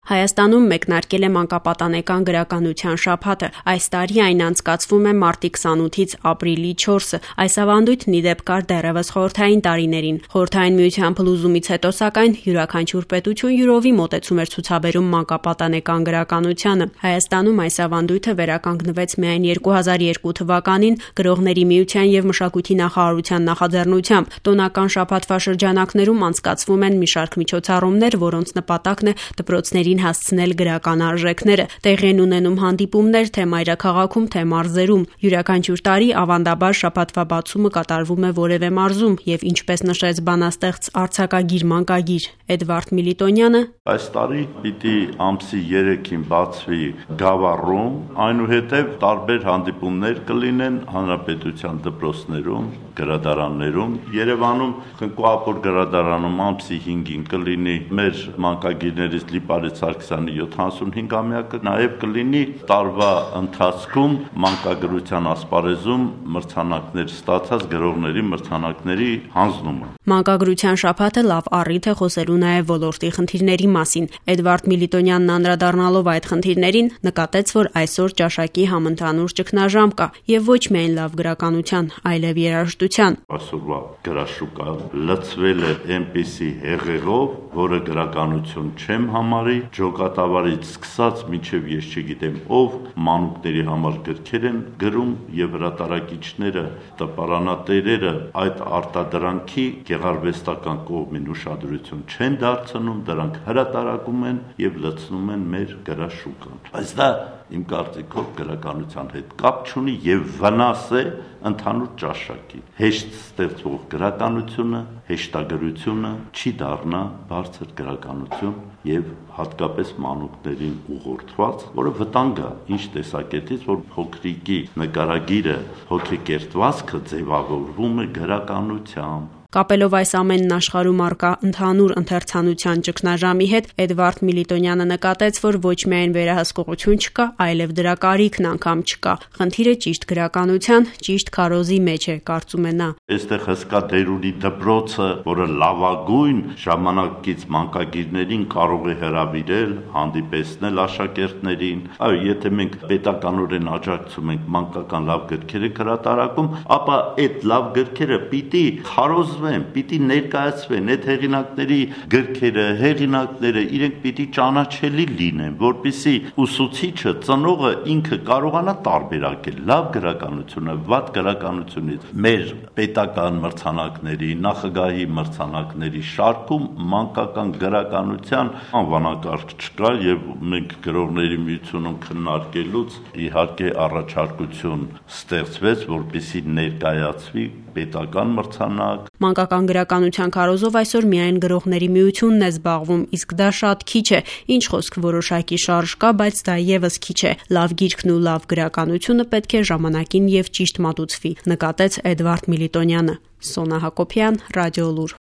Հայաստանում մեկնարկել է մանկապատանեկան գրականության շաբաթը։ Այս տարի այն անցկացվում է մարտի 28-ից ապրիլի 4-ը։ Այս ավանդույթն ի դեպ կար դեռևս խորհրդային տարիներին։ Խորհրդային միության փլուզումից հետո, սակայն, յուրաքանչյուր պետություն յուրովի մոտեցում էր ցուցաբերում մանկապատանեկան գրականությանը։ Հայաստանում այս ավանդույթը վերականգնվեց միայն 2002 թվականին Գրողների միության եւ Մշակույթի նախարարության նախաձեռնությամբ։ Տոնական շաբաթվա շրջանակներում անցկացվում են մի շարք միջոցառումներ, որոնց նպատակն է դպրոցներին հասցնել գրական արժեքները։ Տեղի են ունենում հանդիպումներ թե մայրաքաղաքում, թե մարզերում։ Յուրաքանչյուր տարի ավանդաբար շաբաթվա բացումը կատարվում է որևէ մարզում եւ ինչպես նշեց բանաստեղծ արձակագիր մանկագիր Էդվարդ Միլիտոնյանը, այս տարի պիտի ամսի 3-ին բացվի Գավառում, այնուհետև տարբեր հանդիպումներ կլինեն հանրապետության դպրոցներում, գրադարաններում, Երևանում Քնկուապոր գրադարանում ամսի 5-ին կլինի մեր մանկագիրներից Լիպարետ Սարգսյանի 75-ամյակը, նաև կլինի տարվա ընթացքում մանկագրության ասպարեզում մրցանակներ ստացած գրողների մրցանակների հանձնումը։ Մանկագրության շաբաթը լավ առիթ է խոսելու նաև ոլորտի խնդիրների մասին։ Էդվարդ Միլիտոնյանն անդրադառնալով այդ խնդիրներին նկատեց, որ այսօր ճաշակի համընդհանուր ճգնաժամ կա եւ ոչ միայն լավ գրականության, այլև երաժշտության։ Այսօրվա գրաշուկան լցվել է այնպիսի հեղեղով, որը գրականություն չեմ համարի, ջոկատավարից սկսած մինչև ես չգիտեմ ով մանուկների համար գրքեր են գրում եւ հրատարակիչները, տպարանատերերը այդ արտադրանքի գեղարվեստական կողմին ուշադրություն չեն դարձնում, դրանք հրատարակում են եւ լցնում են մեր գրաշուկան։ Բայց դա իմ կարծիքով գրականության հետ կապ չունի եւ վնաս է ընդհանուր ճաշակի։ Հեշտ ստեղծվող գրականությունը, հեշտագրությունը չի դառնա բարձր գրականություն եւ հատկապես մանուկներին ուղղորդված, որը վտանգ է ինչ տեսակետից, որ փոքրիկի նկարագիրը հոգեկերտվածքը ձևավորվում է գրականությամբ։ Կապելով այս ամենն աշխարհում առկա ընդհանուր ընթերցանության ճգնաժամի հետ, Էդվարդ Միլիտոնյանը նկատեց, որ ոչ միայն վերահսկողություն չկա, այլև դրա կարիքն անգամ չկա։ Խնդիրը ճիշտ գրականության, ճիշտ քարոզի մեջ է, կարծում է նա։ Այստեղ հսկա դեր ունի դպրոցը, որը լավագույն ժամանակից մանկագիրներին կարող է հրավիրել, հանդիպեցնել աշակերտներին։ Այո, եթե մենք պետականորեն աջակցում ենք մանկական լավ գրքերի հրատարակում, ապա այդ լավ գրքերը պիտի քարոզվեն, պիտի ներկայացվեն, այդ հեղինակների գրքերը, հեղինակները իրենք պիտի ճանաչելի լինեն, որպեսզի ուսուցիչը, ծնողը ինքը կարողանա տարբերակել լավ գրականությունը, վատ գրականությունից։ Մեր պետական մրցանակների, նախագահի մրցանակների շարքում մանկական գրականության անվանակարգ չկա եւ մենք գրողների միությունում քննարկելուց իհարկե առաջարկություն ստեղծվեց, որպեսզի ներկայացվի պետական մրցանակ։ Մանկական գրականության քարոզով այսօր միայն Գրողների միությունն է զբաղվում, իսկ դա շատ քիչ է։ Ինչ խոսք որոշակի շարժ կա, բայց դա եւս քիչ է։ Լավ գիրքն ու լավ գրականությունը պետք է ժամանակին եւ ճիշտ մատուցվի, նկատեց Էդվարդ Միլիտոնյանը։ Սոնա Հակոբյան, Ռադիոլուր։